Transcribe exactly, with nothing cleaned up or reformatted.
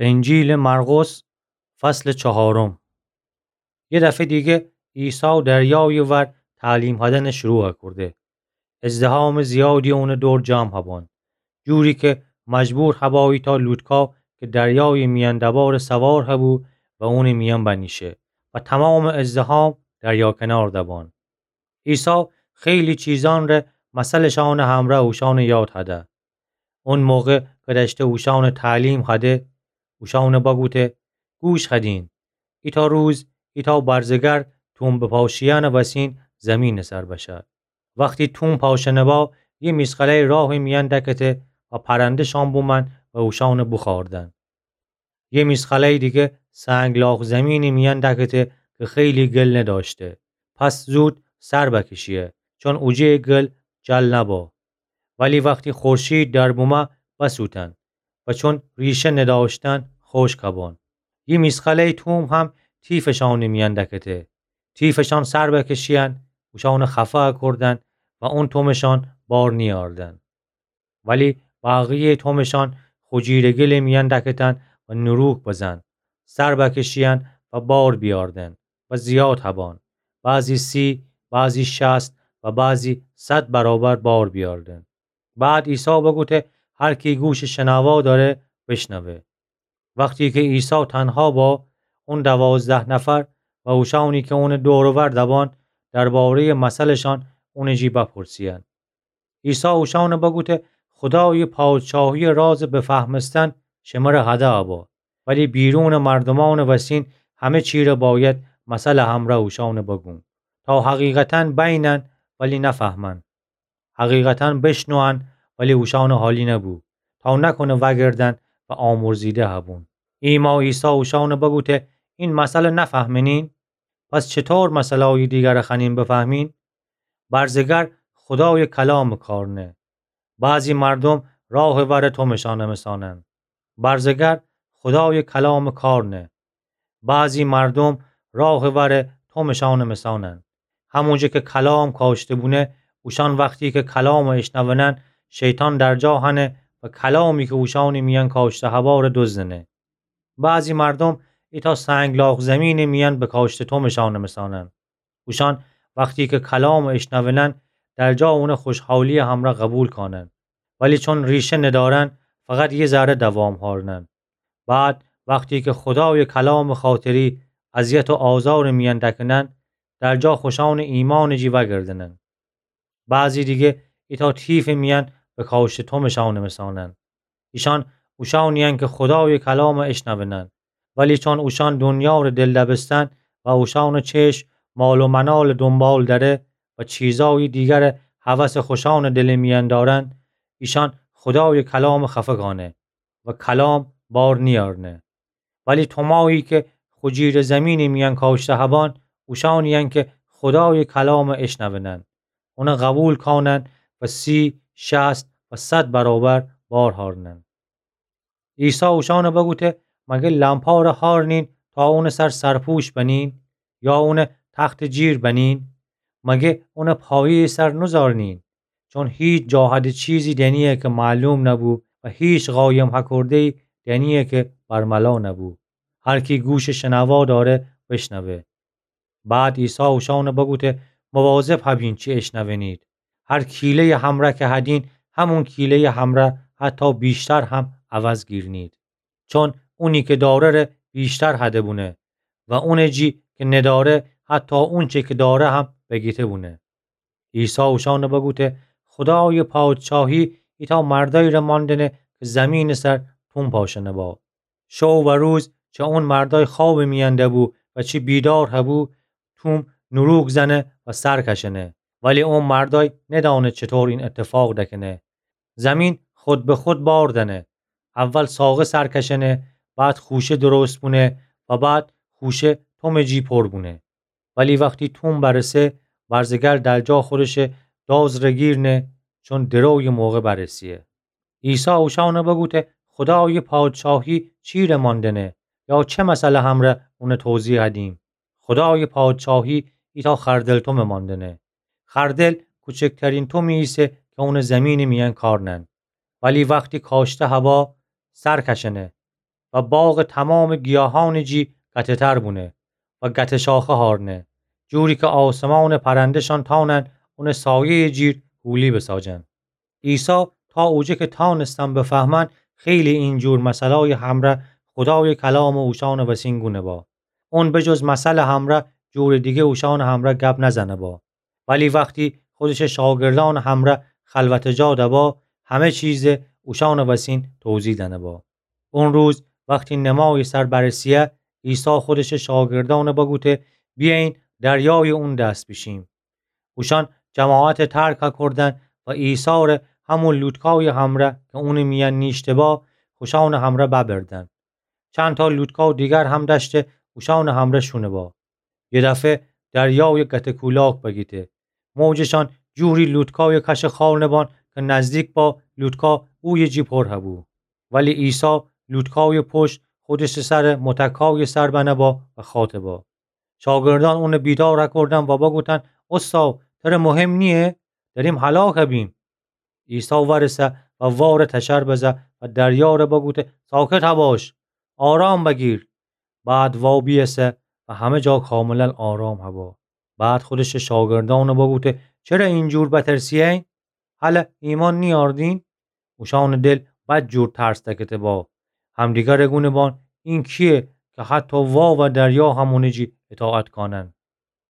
انجیلٚ مرقس، فصلٚ چهارم. یه دفعه دیگه عیسی دریایٚ ور تعلیم هدنٚ شروع کرده. ازدحامٚ زیادی اونٚ دور جمع هبان، جوری که مجبور هبا ایتأ لوتکا که دریایٚ میأن دبارٚ سوار هبو و اونٚ میأن بنیشه و تمامٚ ازدحام دریا کنار دبان. عیسی خیلی چیزأن ره مثلشأنٚ همرأ اوشأنٚ یاد هده. اون موقع که دأشته اوشأنٚ تعلیم هده، اوشأنٚ بگوته: گوش هدین. ایتأ روز ایتأ برزگر توم بپاشیأنٚ وسین زیمینٚ سر بشه. وختی توم پاشنه با، یه میسقله‌ی راهٚ میأن دکته و پرنده‌شأن بومن و اوشأنٚ بوخوردن. یه میسقله‌ی دیگه سنگلاخ زیمینٚ میأن دکته که خیلی گل ندأشته. پس زود سر بکشیه، چون اوجه‌یٚ گل جل نبا. ولی وختی خورشید در بومه، بسوتن و چون ریشه ندأشتن، خوشک هبان. یه میسقله‌ی توم هم تیفٚ شأنٚ میأن دکته. تیفٚ شأن سر بکشیأن، اوشأنٚ خفه کردن و اون تومٚ شأن بار نیأردن. ولی بقیه‌یٚ تومٚ شأن خجیرٚ گلٚ میأن دکتن و نروک بزن، سر بکشیأن و بار بیأردن و زیاد هبان، بعضی سی، بعضی شصت و بعضی صد برابر بار بیأردن. بعد عیسی بگوته: هر کی گوشٚ شنوا دأره، بشنوه. وختی که عیسی تنها با، اون دوازده نفر و اوشأنی که اونٚ دور و ور دبان، درباره‌یٚ مثلٚ شأن اونٚ جی بپرسیأن. عیسی اوشأنٚ بگوته: خودایٚ پادشاهی‌یٚ رازٚ بفهمستن شمره هده ابا، ولی بیرونٚ مردومأنٚ وسین همه چیره باید مثلٚ همرأ اوشأنٚ بگون، تا حقیقتاً بینن ولی نفهمن. حقیقتاً بشنوئن ولی اوشأنٚ حالی نبو، تا نکنه وأگردن و آمرزیده هبون. ایما عیسی اوشأنٚ بگوته: این مثلٚ نفهمنین؟ پس چطور مثلأیٚ دیگرٚ خوأنین بفهمین؟ برزگر خودایٚ کلامٚ کار نه. بعضی مردوم راهٚ ورٚ تومٚ شأنٚ مثانن. برزگر خودایٚ کلامٚ کار نه. بعضی مردوم راهٚ ورٚ تومٚ شأنٚ مثانن. همونجه که کلام کاشته بونه، اوشأن وختی که کلامٚ اشنونن، شیطان در جا هنه و کلامی که اوشأنٚ میأن کاشته هبارٚ دزدنه. بعضی مردوم ایتأ سنگلاخ زیمینٚ میأن بکاشته تومٚ شأنٚ مثانن. اوشأن وختی که کلامٚ اشنونن، در جا اونٚ خوشحالی‌یٚ همرأ قبول کانن، ولی چون ریشه ندأرن، فقط یه ذره دوام هأرنن. بعد وختی که خودایٚ کلامٚ خاطری اذیت و آزارٚ میأن دکنن، در جا خوشأنٚ ایمأنٚ جی وأگردنن. بعضی دیگه ایتأ تیفٚ میأن بکاشته تومٚ شأنٚ مثانن. ایشأن اوشأنی‌ین که خودایٚ کلامٚ اشنونن، ولی چون اوشأن دونیاره دل دبستن و اوشأنٚ چشم مال و منالٚ دونبال دأره و چیزأیٚ دیگرٚ هوسٚ خوشأنٚ دلٚ میأن دأرن، ایشأن خودایٚ کلامٚ خفه کانه و کلام بار نیأرنه. ولی تومایی که خجیرٚ زیمینٚ میأن کاشته هبان، اوشأنی‌ین که خودایٚ کلامٚ اشنونن، اونٚ قبول کانن و سی، شصت و صد برابر بار هأرنن. عیسی اوشأنٚ بگوته: مگه لمپاره هأرنین تا اونٚ سر سرپوش بنین؟ یا اونٚ تختٚ جیر بنین؟ مگه اونٚ پایه‌یٚ سر نوزارنین؟ چون هیچ جا هده چیزی دنیه که معلوم نبو و هیچ قایم هکرده‌یی دنیه که برملا نبو. هر کی گوشٚ شنوا دأره، بشنوه. بعد عیسی اوشأنٚ بگوته: مواظب هبین چی اشنونید. هر کیله‌یٚ همرأ که هدین، همون کیله‌یٚ همرأ حتی ویشتر هم عوض گیرنید. چون اونی که دأره ره ویشتر هده بونه و اونٚ جی که ندأره، حتی اونچه که دأره هم بگیته بونه. عیسی اوشأنٚ بگوته: خودایٚ پادشاهی ایتأ مردأیی ره ماندنه که زیمینٚ سر توم پاشنه با. شو و روز چه اون مردأی خوابٚ میأن دبو و چه بیدار هبو، توم نوروک زنه و سر کشنه. ولی اون مردأی ندأنه چطور این اتفاق دکنه. زیمین خود به خود بار دنه. اول ساقه سر کشنه، بعد خوشه درست بونه و بعد خوشه تومٚ جی پر بونه. ولی وختی توم برسه، برزگر در جا خودشه داز ره گیرنه، چون درویٚ موقع برسیه. عیسی اوشأنٚ بگوته: خودایٚ پادشاهی چی ره ماندنه؟ یا چه مثلٚ همرأ اونٚ توضیح هدیم؟ خودایٚ پادشاهی ایتأ خردل تومٚ ماندنه. خردل کوچکترین تومی ایسه که اونٚ زیمینٚ میأن کارنن. ولی وختی کاشته هوا، سر کشنه. و باغٚ تومامٚ گیاهأنٚ جی گته‌تر بونه و گته شاخه هارنه، جوری کی آسمانٚ پرنده‌شان تأونن اونٚ سایه‌یٚ جیر هولی بساجن. عیسی تا اوجه کی تأونستن بفهمن، خیلی اینجور مثلأیٚ همره خودایٚ کلامٚ اوشأنٚ وسین گونه با. اون به جز مثلٚ همره جورٚ دیگه اوشأنٚ همره گپ نزنه با. ولی وختی خودشٚ شاگردأنٚ همره خلوتٚ جا دبا، همه چیز اوشأنٚ وسین توضیح دنه با. اون روز وختی نمایٚ سر برسیه، عیسی خودشٚ شاگردأن بگوته: بیأیین دریایٚ اون دس بیشیم. اوشأن جماعت ترک کردن و عیسی ره همون لوتکایٚ همره کی اونٚ میأن نیشته با، خوشأنٚ همره ببردن. چندتا لوتکا دیگر هم دأشته اوشأنٚ همره شونه با. یه دفعه دریای گته کولاک بگیته. موجشان جوری لوتکایٚ کشٚ خارنه بان کی نزدیک با لوتکا اویه جی پر هبو. ولی عیسی لوتکایٚ پشت خودشٚ سر متکایٚ سر بنه با و خاطه با. شاگردأن اونٚ بیدار کردن و بگوتن: استاد، تره مهم نییه؟ دریم هلاک بیم. عیسی ورسه و وارٚ تشر بزه و دریاره بگوته: ساکت هباش، آرام بگیر. بعد وا بیسه و همه جا کاملا آرام هبا. بعد خودشٚ شاگردأن بگوته: چره اینجور بترسیین؟ هله ایمأن نیأردین؟ اوشأنٚ دل بدجور ترس دکته با. همدیگره گونه بان: این کیه کی حتی وا و دریا هم اونٚ جی اطاعت کانن؟